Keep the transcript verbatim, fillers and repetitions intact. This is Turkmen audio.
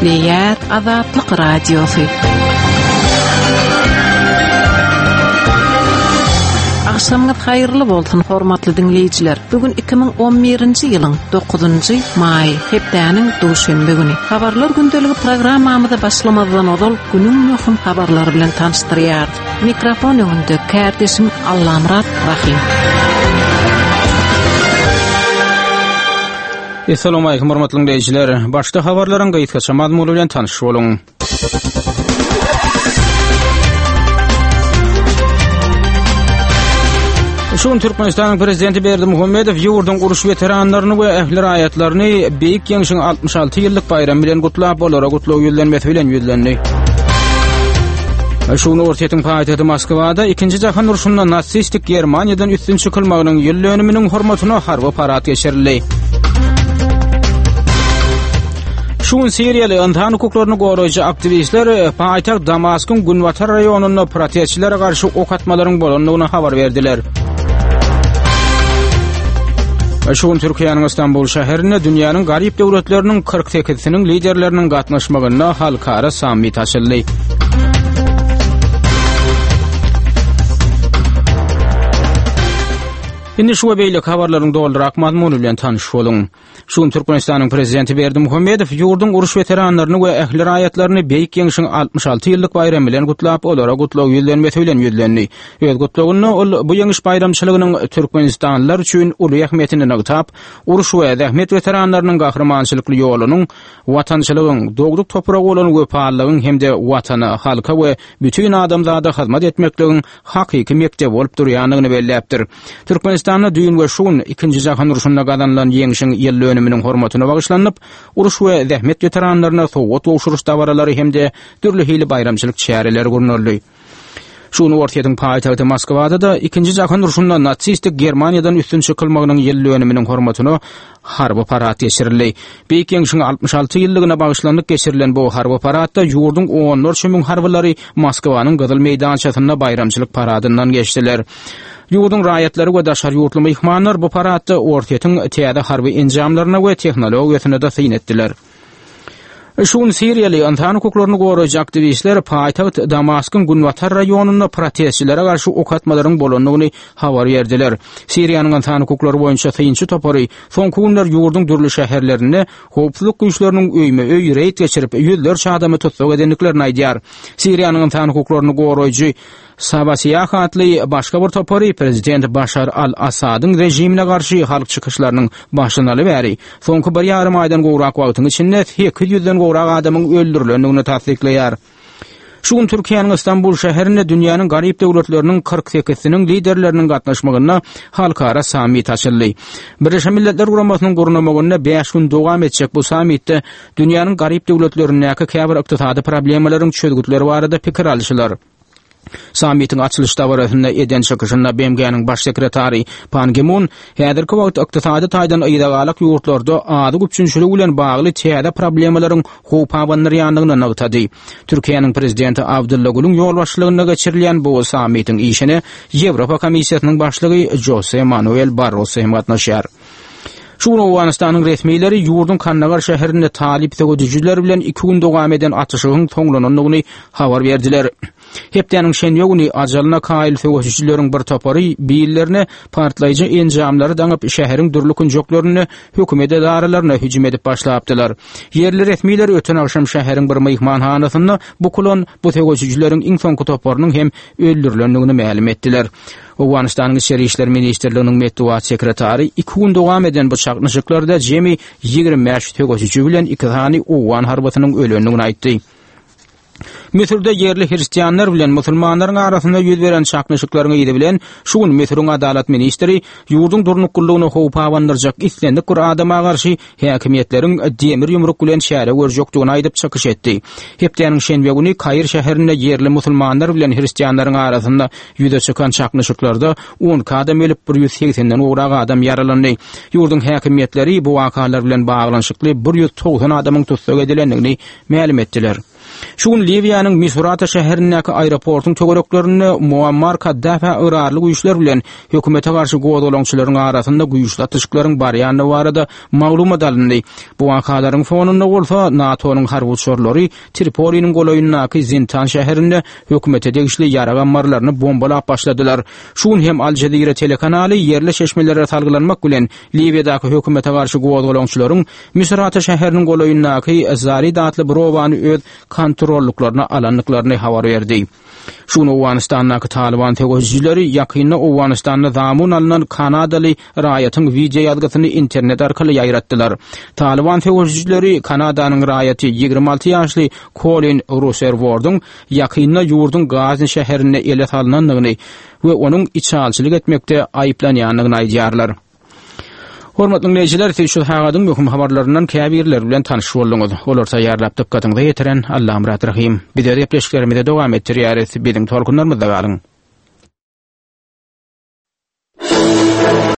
Gepleýär Azatlyk Radiosy. Agşamyňyz haýyrly bolsun, hormatly diňleýjiler. Bugün iki müň on birinji ýylyň dokuzynjy maý, hepdäniň duşenbe güni. Habarlar gündeligi programmamyza başlamazdan ozal günüň möhüm habarlary bilen tanyşdyrýarys. Mikrofon öňünde kärdeşim Allamyrat Rahim. Assalamu alaykum hormatly dinleýjiler. Başda habarlaryň gysgaça mazmuny bilen tanyş boluň. Şu gün Türkmenistanyň Prezidenti Berdimuhamedow ýurduň uruş weteranlaryny we ähli raýatlaryny Beýik Ýeňşiň altmyş alty ýyllyk baýramy bilen gutlap, olara gutlag ýüzlenmesi bilen ýüzlendi. Şu gün Orsýetiň paýtagty Moskwada ikinji jahan urşunda nasistik Germaniýadan üstün çykylmagynyň ýyl dönüminiň hormatyna harby parad geçirildi. Şu gün Siriýaly ynsan hukuklaryny goraýjy aktiwistler paýtagt Damaskyň günbatar raýonynda protestçilere garşy ok atmalaryň bolandygyny habar berdiler. Şu gün Türkiýäniň Istanbul şäherinde dünýäniň garyp döwletleriniň kyrk sekizsiniň liderleriniň gatnaşmagynda halkara sammit açyldy. Indi şu we beýleki habarlaryň dolurak mazmuny bilen tanyş boluň. Şu gün Türkmenistanyň Prezidenti Berdimuhamedow ýurduň uruş weteranlaryny we ähli raýatlaryny Beýik Ýeňşiň altmyş alty ýyllyk baýramy bilen gutlap, olara gutlag ýüzlenmesi bilen ýüzlendi. Öz gutlagynda ol bu ýeňiş baýramçylygynyň Türkmenistanlylar üçin uly ähmiýetini nygtap, uruş we zähmet weteranlarynyň gahrymançylykly ýolunyň, watançylygyň, dogduk topragy bolan wepalylygyň hem-de watana, halka we bütün adamzada hyzmat etmekligiň hakyky mekdebi bolup durýandygyny belläpdir. Türkmenistanda düýn we şu gün ikinji jahan urşunda gazanylan ýeňşiň ýyl dönüminiň hormatyna bagyşlanyp, uruş we zähmet weteranlaryna sowgat gowşuryş dabaralary hem-de dürli hili baýramçylyk çäreleri gurnaldy. Şu gün Orsýetiň paýtagty Moskwada da ikinji jahan urşunda nasistik Germaniýadan üstün çykylmagynyň ýyl dönüminiň hormatyna harby parad geçirildi. Beýik Ýeňşiň altmyş alty ýyllygyna bagyşlanyp geçirilen bu harby paradda ýurduň onlarça müň harbylary Moskwanyň Gyzyl meýdançasynda baýramçylyk paradyndan geçdiler. Ýurduň raýatlary we daşary ýurtly myhmanlar bu paradda Orsýetiň täze harby enjamlaryna we tehnologiýasyna da syn etdiler. Şu gün Siriýaly ynsan hukuklaryny goraýjy aktiwistler paýtagt Damaskyň günbatar raýonynda protestçilere garşy ok atmalaryň bolandygyny habar berdiler. Siriýanyň ynsan hukuklary boýunça synçy topary soňky günler ýurduň dürli şäherlerinde howpsuzlyk güýçleriniň öýme-öý reýd geçirip ýüzlerçe adamy tussag edendiklerini aýdýar. Siriýanyň ynsan hukuklaryny goraýjy Sabasiýah atly başga bir topary prezident Başar al-Asadyň režimine garşy halk çykyşlarynyň başlanaly bäri soňky bir ýarym aýdan gowrak wagtyň içinde sekiz ýüzden gowrak adamyň öldürilendigini tassyklaýar. Şu gün Türkiýäniň Istanbul şäherinde dünýäniň garyp döwletleriniň kyrk sekizsiniň liderleriniň gatnaşmagynda halkara sammit açyldy. Birleşen Milletler Guramasynyň gurnamagynda bäş gün dowam etjek bu sammitde dünýäniň garyp döwletlerindäki käbir ykdysady problemalaryň çözgütleri barada pikir alşylar. Sammitiň açylyş dabarasynda eden çykyşynda B M G-niň baş sekretary Pan Gi-mun häzirki wagt ykdysady taýdan yzagalak ýurtlarda azyk üpjünçiligi bilen bagly täze problemalaryň howp abandyrýandygyny nygtady. Türkiýäniň prezidenti Abdylla Gülüň ýolbaşçylygynda geçirilýän bu sammitiň işine Ýewropa Komissiýasynyň başlygy Jose Manuel Barroso hem gatnaşýar. Şu gün Owganystanyň resmileri ýurduň Kandagar şäherinde talyp söweşijiler bilen iki gün dowam eden atyşygyň soňlanandygyny habar berdiler. Hepdäniň şenbe güni ajalyna kaýyl söweşijileriň bir topary billerine partlaýjy enjamlary daňyp şäheriň dürli künjeklerinde hökümet edaralaryna hüjüm edip başlapdylar. Ýerli resmiler öten agşam şäheriň bir myhmanhanasynda bukulan bu söweşijileriň iň soňky toparynyň hem öldürilendigini mälim etdiler. Owganystanyň Içeri İşler Ministrliginiň metbugat sekretary iki gün dowam eden bu çaknyşyklarda jemi ýigrimi bäş söweşiji bilen iki sany owgan harbysynyň ölendigini aýtdy. Müsürde ýerli hristianlar bilen musulmanlaryň arasynda ýüz beren çaknyşyklaryň yzy bilen şu gün Müsüriň adalat ministri ýurduň durnuklylygyny howpa abandyrjak islendik bir adama garşy häkimiýetleriň demir ýumruk bilen çäre görjekdigini aýdyp çykyş etdi. Hepdäniň şenbe güni Kair şäherinde ýerli musulmanlar bilen hristianlaryň arasynda ýüze çykan çaknyşyklarda on iki adam ölüp, bir ýüz segsenden gowrak adam ýaralandy. Ýurduň häkimiýetleri bu wakalar bilen baglanyşykly bir ýüz togsan adamyň tussag edilendigini mälim etdiler. Şu gün Liwiýanyň Misurata şäherindäki aeroportuň töwereklerinde Muammar Kaddafä ygrarly güýçler bilen hökümete garşy gozgalaňçylaryň arasynda güýçli atyşyklaryň barýandygy barada maglumat alyndy. Bu wakalaryň fonunda bolsa NATO-nyň harby uçarlary Tripoliniň golaýyndaky Zintan şäherinde hökümete degişli ýarag ammarlaryny bombalap başladylar. Şu gün hem Al Jazeera telekanaly ýerli çeşmelere salgylanmak bilen Liwiýadaky hökümete garşy gozgalaňçylaryň Misurata şäheriniň golaýyndaky Zarid atly bir obany öz kontrolluklaryna alandyklaryny habar berdi. Şu gün Owganystandaky Taliban söweşijileri ýakynda Owganystanda zamun alynan Kanadaly raýatyň wideo ýazgysyny internet arkaly ýaýratdylar. Taliban söweşijileri Kanadanyň raýaty ýigrimi alty ýaşly Colin Ruserwordyň ýakynda ýurduň Gazni şäherinde ele salynandygyny we onuň içalçylyk etmekde aýyplanýandygyny aýdýarlar. Hormatly dinleýjiler, siz şu sagadyň möhüm habarlaryndan käbirleri bilen tanyş bolduňyz. Olar taýýarlap dykgatyňyza ýetiren Allamyrat Rahim. Biz gepleşiklerimizi dowam etdirýäris. Biziň tolkunlarymyzda galyň.